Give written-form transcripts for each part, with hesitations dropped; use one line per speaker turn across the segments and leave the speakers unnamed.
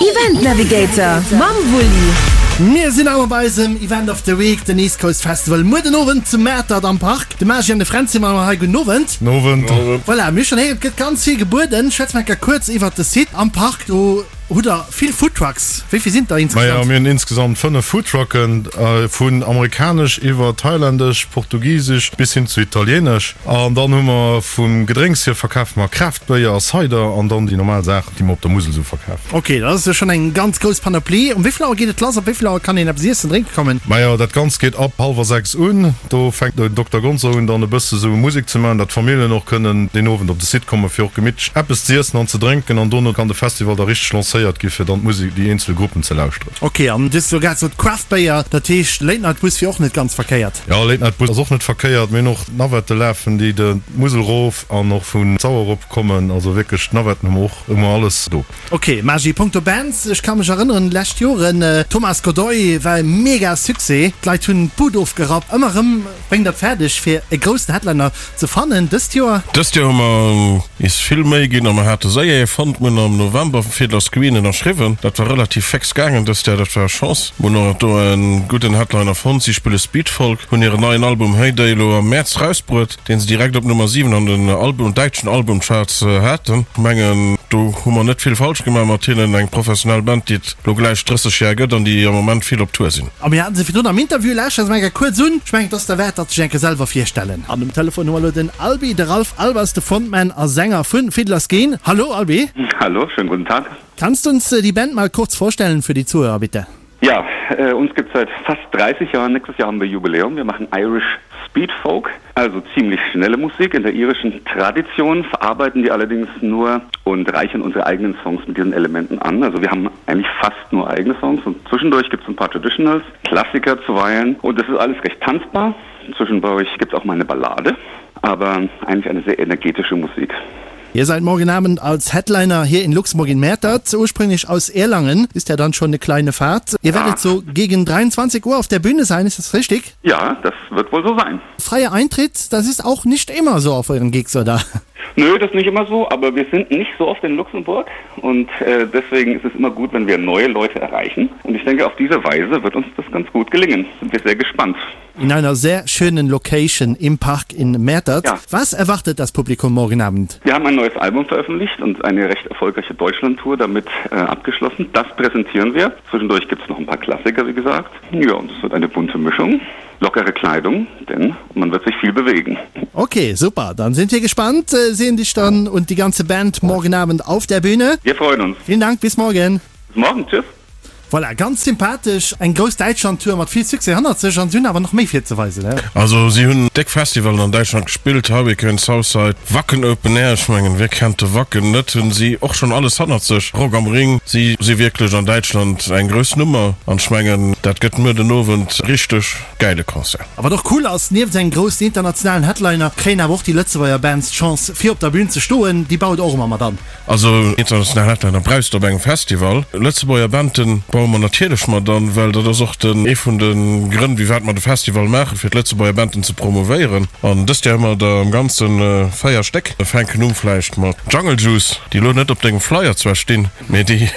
Event Navigator mam Wulli.
Mir sinn awer bei eisem Event of the Week, den East Coast Festival, muer den Owend zu Mäertert am Park. De Magi an de Fränz si mat mer hei. Gudden Owend.
Gudden Owend.
Voilà, mir hu schonn héieren, et gëtt ganz vill gebueden. Schwätze mer eng Kéier kuerz iwwert de Site am Park. Do hutt der vill Foodtrucks. Wéi vill sinn et der
insgesamt? Majo, mir hunn insgesamt 5 Foodtrucken, vun amerikanesch iwwer thailändesch, portugisesch bis hin zu italienesch. An dann hu mer vum Gedrénks hier verkafe mer Craft-Béier a Cider an dann déi normal Saachen, déi mer op der Musel esou verkafen.
Ok, dat ass jo schonn eng ganz grouss Panoplie. Um wéi vill Auer geet et lass? Ab wéi vill Auer kann een eppes iessen, drénke kommen?
Majo, dat Ganzt geet ab hallwer 6 un. Do fänkt den Dokter Gonzo un dann e bësse sou Musek ze maachen, dat d'Familljen och kënnen deen Owend op de Site kommen, fir och gemittlech eppes ze iessen an ze drénken. An dono kann de Festival da richteg lancéiert gi fir dann d'Musek, déi eenzel Gruppen ze lauschteren.
Ok, an du hues elo grad gesot Craft Béier, dat heescht Late Night Bus wier och net ganz verkéiert?
Jo, Late Night Bus ass och net verkéiert. Mir hunn och Navette lafen, déi de Musel rof an och vun Sauer erop kommen. Also wierklech d'Navetten hu mer och, hu mer alles do.
Ok, Magi, punkto Bands, ech ka mech erënneren, lescht Joren, Thomas Godoy war e mega Succès, d'Leit hunn d'Bud ofgerappt. Ëmmer erëm bréngt der et fäerdeg fir e groussen Headliner ze fannen. Dëst Joer?
Dëst Joer hu mer is vill Méi ginn a mer hate séier ee fonnt. Mir hunn am November Fiddler's Green ënnerschriwwen. Dat war relativ féx gaangen dëst Joer, dat war Chance. Mir hunn och do e gudden Headliner fonnt. Si spille Speedfolk, hunn hiren neien Album Heyday elo am Mäerz rausbruet. deen se direkt op Nummer 7 an den Album, däitschen Albumcharts haten. Mengen do hu mer net vill falsch gemaach mat hinnen, eng professionell Band déi et lo gläich 30 Jar gëtt an déi am Moment vill op Tour sinn.
A mir haten se virdrun am Interview, lauschtert se mol eng Kéier kuerz un, ech mengen et ass derwäert datt sech eng Kéier selwer virstellen. An um Telefon hu mer elo den Albi, de Ralph Albers, de Frontman a Sänger vun Fiddler's Green. Hallo Albi.
Hallo, schönen guten Tag.
Kannst du uns die Band mal kurz vorstellen für die Zuhörer bitte?
Ja, äh, uns gibt seit fast 30 Jahren. Nächstes Jahr haben wir Jubiläum. Wir machen Irish Speed Folk, also ziemlich schnelle Musik in der irischen Tradition, verarbeiten die allerdings nur und reichen unsere eigenen Songs mit diesen Elementen an. Also wir haben eigentlich fast nur eigene Songs und zwischendurch gibt es ein paar Traditionals, Klassiker zuweilen und das ist alles recht tanzbar. Zwischendurch gibt es auch mal eine Ballade, aber eigentlich eine sehr energetische Musik.
Ihr seid morgen Abend als Headliner hier in Luxemburg in Mäertert, ursprünglich aus Erlangen, ist ja dann schon eine kleine Fahrt. Ihr werdet ja. so gegen 23 Uhr auf der Bühne sein, ist das richtig?
Ja, das wird wohl so sein.
Freier Eintritt, das ist auch nicht immer so auf euren Gigs, oder?
Nö, das ist nicht immer so, aber wir sind nicht so oft in Luxemburg und äh, deswegen ist es immer gut, wenn wir neue Leute erreichen. Und ich denke, auf diese Weise wird uns das ganz gut gelingen. Sind wir sehr gespannt.
In einer sehr schönen Location im Park in Mäertert. Ja. Was erwartet das Publikum morgen Abend?
Wir haben ein neues Album veröffentlicht und eine recht erfolgreiche Deutschlandtour damit äh, abgeschlossen. Das präsentieren wir. Zwischendurch gibt es noch ein paar Klassiker, wie gesagt. Ja, und es wird eine bunte Mischung. Lockere Kleidung, denn man wird sich viel bewegen.
Okay, super. Dann sind wir gespannt. Äh, sehen dich dann und die ganze Band morgen Abend auf der Bühne.
Wir freuen uns.
Vielen Dank, bis morgen.
Bis morgen, tschüss.
Voilà, ganz sympathesch, eng grouss Däitschland-Tour mat vill Succès hannert sech an si hunn awer nach méi virzeweisen, he?
Also si hunn déck Festivalen an Däitschland gespillt, Hurricane, Southside, Wacken Open Air, ech mengen wie kennt de Wacken net, hunn si och schonn alles hannert sech, Rock am Ring, si si wierklech an Däitschland eng grouss Nummer an ech mengen dat gëtt muer den Owend richteg gäile Concert.
A wat och cool ass, nieft engem groussen internationalen Headliner kréien awer och déi Lëtzebuerger Bands d'Chance fir op der Bün ze stoen, déi baut och ëmmer mat an.
Also international Headliner brauchs de op engem Festival. Lëtzebuerger Banden baue mer natierlech mat an, well dat ass och den ee vun de Grënn wéiwat mer de Festival maachen, fir d'Lëtzebuerger Banden ze promovéieren. An dëst Joer hu mer der am Ganze 4 Stéck. Mir fänken un vläicht mat Jungle Juice, déi elo net op dengem Flyer zwar stinn, mee déi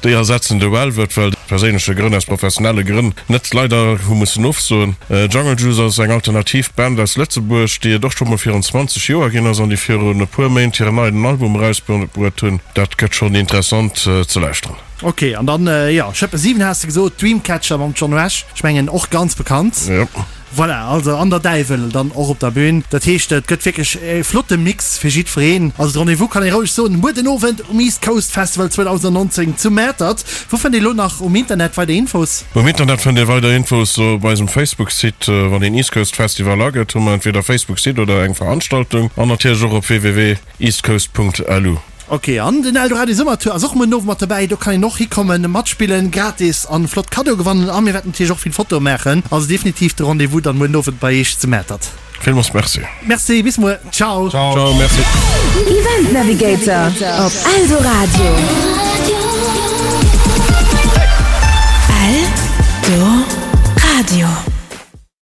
déi ersetzen de Velvet, well perséinleche Grënn, aus professionelle Grënn net leider hu mussen ofsoen. Jungle Juice ass eng alternativ Band aus Lëtzebuerg, déi et och scho mol virun 20 Joer ginn ass an déi virun e puer Méint hiren neien Album erausbruet hunn. Dat gëtt schonn interessant ze lauschteren.
Ok, an dann, jo, Schëppe 7 has de gesot, Dreamcatcher mam John Rush, ech mengen och ganz bekannt.
Jo.
Voilà, also an der Däiwel dann och op der Bühn. Dat heescht, et gëtt wierklech e flotte Mix fir jiddwereen. Also de Rendez-vous kann ee roueg soen, muer den Owend um East Coast Festival 2019 zu Mäertert. Wou fënnt ee lo nach um Internet weider Infos?
Um Internet fënnt ee weider Infos op eisem Facebook-Site. Wann een East Coast Festival agëtt, hu mer entweder Facebook-Site oder eng Veranstaltung an natierlech och op www.eastcoast.lu.
Ok, an den Eldoradio Summertour ass och muer den Owend mat dobäi. Do kann een och hikommen, matspillen, gratis an flott Cadeau gewannen. A mir wäerten natierlech och vill Fotoe maachen. Also definitiv de Rendez-vous dann muer den Owend bei Eech zu Mäertert.
Villmools Merci.
Merci, bis muer. Ciao.
Ciao, merci.
Event Navigator op Eldoradio. Eldoradio.